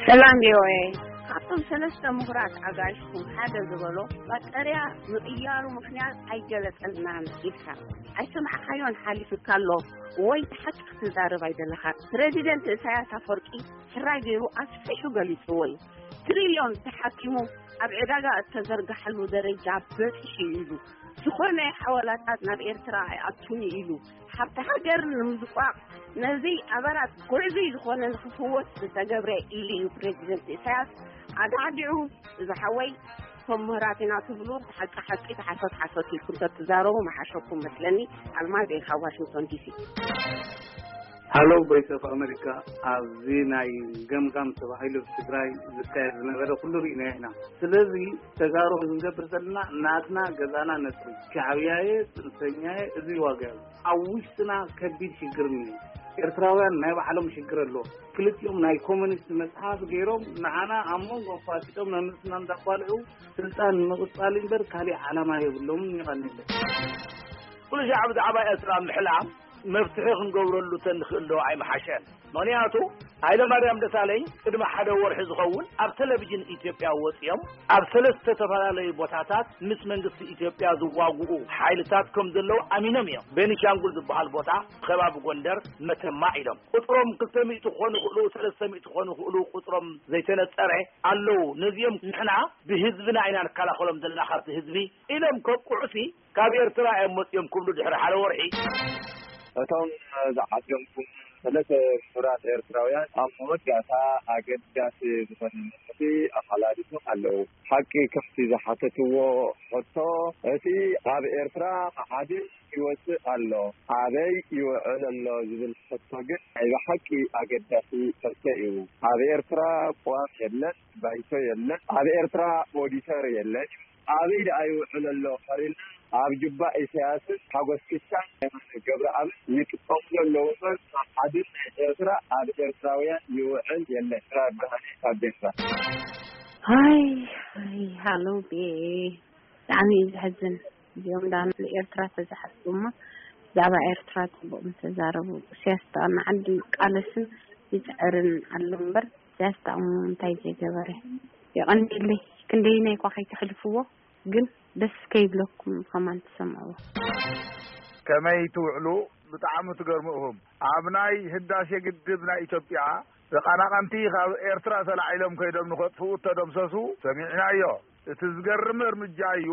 ሰላም ቪኦኤ። ካብቶም ሰለስተ ምሁራት ኣጋይሽኩም ሓደ ዝበሎ፣ ባጠርያ ምቕያሩ ምኽንያት ኣይገለጸልናን ኢልካ ኣይሰማዕካዮን ሓሊፉካ ኣሎ ወይ? ሓቂ ክትዛረብ ኣይደለኻ። ፕረዚደንት ኢሳያስ ኣፈወርቂ ሕራይ ገይሩ ኣስፊሑ ገሊጽዎ እዩ። ትሪልዮን ተሓኪሙ ኣብ ዕዳጋ እተዘርግሓሉ ደረጃ በጺሑ እዩ ኢሉ። ዝኾነ ሓዋላታት ናብ ኤርትራ ኣይኣቱን እዩ ኢሉ። ሃብቲ ሃገር ንምዝቋቕ ነዚ ኣበራት ጉዕዙይ ዝኾነ ንኽፍወስ ዝተገብረ ኢሉ እዩ ፕረዚደንት ኢሳያስ ኣዳዕዲዑ። እዚ ሓወይ፣ እቶም ምሁራት ኢና ትብሉ፣ ሓቂ ሓቂ፣ ሓሶት ሓሶት ኢልኩም ተትዛረቡ ምሓሸኩም መስለኒ። ኣልማዝ እየ ካብ ዋሽንግቶን ዲሲ። ሃሎ ቮይስ ኦፍ ኣሜሪካ። ኣብዚ ናይ ገምጋም ተባሂሉ ኣብ ትግራይ ዝካየድ ዝነበረ ኩሉ ርኢናዮ ኢና። ስለዚ ተጋሩ ክንገብር ዘለና ናትና ገዛና ነጽሪ። ሻዕብያየ፣ ጽንፈኛየ፣ እዚ ዋጋ እዩ። ኣብ ውሽጥና ከቢድ ሽግር እኒኦ። ኤርትራውያን ናይ ባዕሎም ሽግር ኣሎ። ክልቲኦም ናይ ኮሙኒስት መጽሓፍ ገይሮም ንዓና ኣብ መንጎ ኣፋጢጦም ነንስና እንዳቋልዑ ስልጣን ንምቕጻል እምበር ካሊእ ዓላማ የብሎምን። ይቐንየለይ። ኩሉ ሻዕ ብዛዕባ ኤርትራ ምሕላም መፍትሒ ክንገብረሉ ተንኽእል ዶ ኣይምሓሸን? ምኽንያቱ ሃይለ ማርያም ደሳለኝ ቅድሚ ሓደ ወርሒ ዝኸውን ኣብ ቴሌቪዥን ኢትዮጵያ ወፂኦም ኣብ ሰለስተ ዝተፈላለዩ ቦታታት ምስ መንግስቲ ኢትዮጵያ ዝዋግኡ ሓይልታት ከም ዘለዉ ኣሚኖም እዮም። ቤኒሻንጉል ዝበሃል ቦታ፣ ከባቢ ጎንደር፣ መተማ ኢሎም ቁፅሮም ክልተ ሚእቲ ክኾኑ ይኽእሉ፣ ሰለስተ ሚእቲ ክኾኑ ይኽእሉ፣ ቁፅሮም ዘይተነፀረ ኣለዉ። ነዚኦም ንሕና ብህዝብና ኢና ንከላኸሎም ዘለና ካብቲ ህዝቢ ኢሎም ከብቅዑሲ ካብ ኤርትራ እዮም መጺኦም ክብሉ ድሕሪ ሓደ ወርሒ። እቶም ዝዓደምኩም ሰለስተ ምሁራት ኤርትራውያን ኣብ መወዳእታ ኣገዳሲ ዝኾነ መልእኽቲ ኣመሓላሊፎም ኣለዉ። ሓቂ ከምቲ ዝሓተትዎ ሕቶ፣ እቲ ካብ ኤርትራ መዓድን ይወጽእ ኣሎ፣ ኣበይ ይውዕል ኣሎ ዝብል ሕቶ ግን ናይ ብሓቂ ኣገዳሲ ሕቶ እዩ። ኣብ ኤርትራ ቅዋም የለን፣ ባይቶ የለን። ኣብ ኤርትራ ኦዲተር የለን። ኣበይ ደኣ ይውዕል ኣሎ ካሪልና ኣብ ጁባ ኢሳያስን ሓጎስ ፊሻን ገብረኣብን ይጥቀሙ ዘለዉ እምበር መዓድን ናይ ኤርትራ ኣብ ኤርትራውያን ይውዕል የለን። ኤርትራ ብርሃነ ካብ ዴንሳ። ሃይ ሃይ ሃሎ ቤ ብጣዕሚ እዩ ዘሕዝን። እዚኦም ዳ ንኤርትራ ተዝሓስቡ እሞ ብዛዕባ ኤርትራ ጽቡቕ ምተዛረቡ። ኢሳያስ ጥቕሚ ዓዲ ይቃለስን ይጽዕርን ኣሎ እምበር ኢሳያስ ጥቕሙ እንታይ ዘይገበረ? የቐንየለይ። ክንደይናይ እኳ ከይተሕልፍዎ ግን ደስ ከይብለኩም ብኸማን ትሰምዕዎ። ከመይ ትውዕሉ? ብጣዕሚ ትገርሙ ኢኹም። ኣብ ናይ ህዳሴ ግድብ ናይ ኢትዮጵያ ተቐናቐንቲ ካብ ኤርትራ ተላዒሎም ከይዶም ንኸጥፍኡ እተደምሰሱ ሰሚዕናዮ። እቲ ዝገርም እርምጃ እዩ።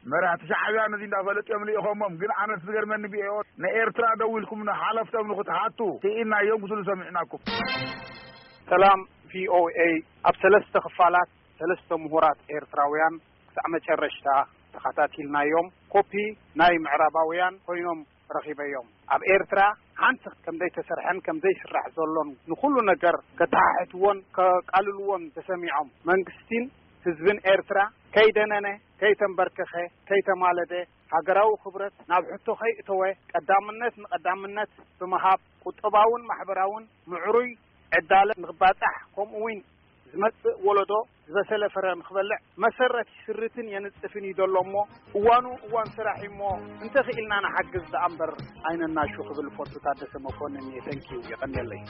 መራሕቲ ሻዕብያ ነዚ እንዳፈለጡ እዮም ልኢኾሞም። ግን ኣነስ ዝገርመኒ ብኤኦ ንኤርትራ ደዊልኩም ንሓለፍቶም ንኽትሓቱ ስኢንናዮም ክትብሉ ሰሚዕናኩም። ሰላም ቪኦኤ። ኣብ ሰለስተ ክፋላት ሰለስተ ምሁራት ኤርትራውያን ክሳዕ መጨረሽታ ተኸታቲልናዮም። ኮፒ ናይ ምዕራባውያን ኮይኖም ረኺበዮም። ኣብ ኤርትራ ሓንቲ ከም ዘይተሰርሐን ከም ዘይስራሕ ዘሎን ንኹሉ ነገር ከተሓሕትዎን ከቃልልዎን ተሰሚዖም። መንግስቲን ህዝብን ኤርትራ ከይደነነ፣ ከይተንበርከኸ፣ ከይተማለደ፣ ሃገራዊ ክብረት ናብ ሕቶ ከይእተወ፣ ቀዳምነት ንቀዳምነት ብምሃብ፣ ቁጠባውን ማሕበራውን ምዕሩይ ዕዳለ ንኽባጻሕ፣ ከምኡ'ውን ዝመጽእ ወለዶ ዝበሰለ ፍረ ንኽበልዕ መሰረት ይስርትን የንጽፍን እዩ ዘሎ እሞ፣ እዋኑ እዋን ስራሕ እዩ እሞ፣ እንተኽኢልና ንሓግዝ ደኣ እምበር ኣይነናሹ ክብል ፈቱ ታደሰ መኮንን እየ። ተንኪዩ፣ የቐንየለይ።